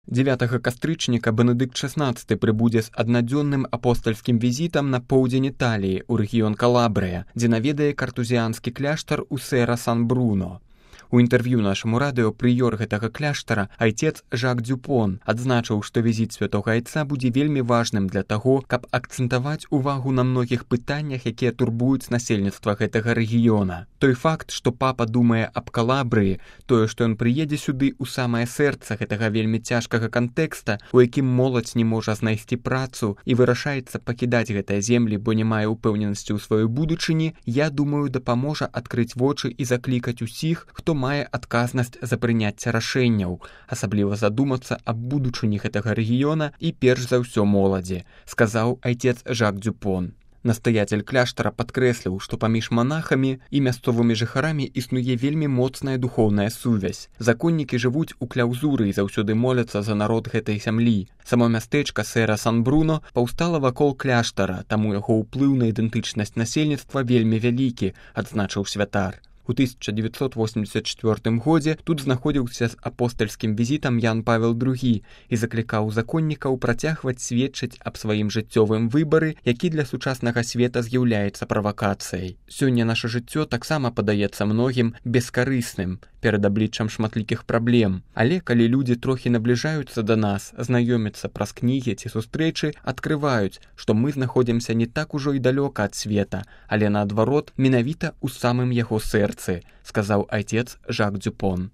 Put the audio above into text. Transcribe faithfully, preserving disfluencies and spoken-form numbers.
дзевятага кастрычніка Бенедыкт шаснаццаты прыбудзе з аднадзённым апостальскім візітам на поўдзень Італіі ў рэгіён Калабрыя, дзе наведае картузіанскі кляштар у Сера-Сан-Бруно. У інтэрв'ю нашаму радыё прыёр гэтага кляштара, айцец Жак Дюпон, адзначыў, што візіт святога айца будзе вельмі важным для таго, каб акцэнтаваць увагу на многіх пытаннях, якія турбуюць насельніцтва гэтага рэгіёна. Той факт, што папа думае аб Калабрыі, тое, што ён прыедзе сюды ў самае сэрца гэтага вельмі цяжкага кантэкста, у якім моладзь не можа знайсці працу і вырашаецца пакідаць гэтыя землі, бо не мае ўпэўненасці ў сваёй будучыні, я думаю, дапаможа адкрыць вочы і заклікаць усіх, хто мае адказнасць за прыняцце рашэнняў, асабліва задумацца аб будучыні гэтага рэгіёна і перш за ўсё моладзі, сказаў айцец Жак Дюпон. Настаяцель кляштара падкрэсліў, што паміж манахамі і мясцовымі жыхарамі існуе вельмі моцная духоўная сувязь. Законнікі жывуць у кляўзуры і заўсёды моляцца за народ гэтай зямлі. Само мястэчка Сера-Сан-Бруно паўстала вакол кляштара, таму яго ўплыў на ідэнтычнасць насельніцтва вельмі вялікі, адзначыў святар. У тысяча дзевяцьсот восемьдесят чвёртым годзе тут знаходзіўся з апостальскім візітам Ян Павел другі і заклікаў законнікаў працягваць сведчыць аб сваім жыццёвым выбары, які для сучаснага света з'яўляецца правакацыяй. Сёння наша жыццё таксама падаецца многім бескарысным перад абліччам шматлікіх праблем. Але калі людзі трохі набліжаюцца да нас, знаёмяцца праз кнігі ці сустрэчы, адкрываюць, што мы знаходзімся не так ужо і далёка ад света, але наадварот, менавіта ў самым яго сэрцы, сказаў айцец Жак Дюпон.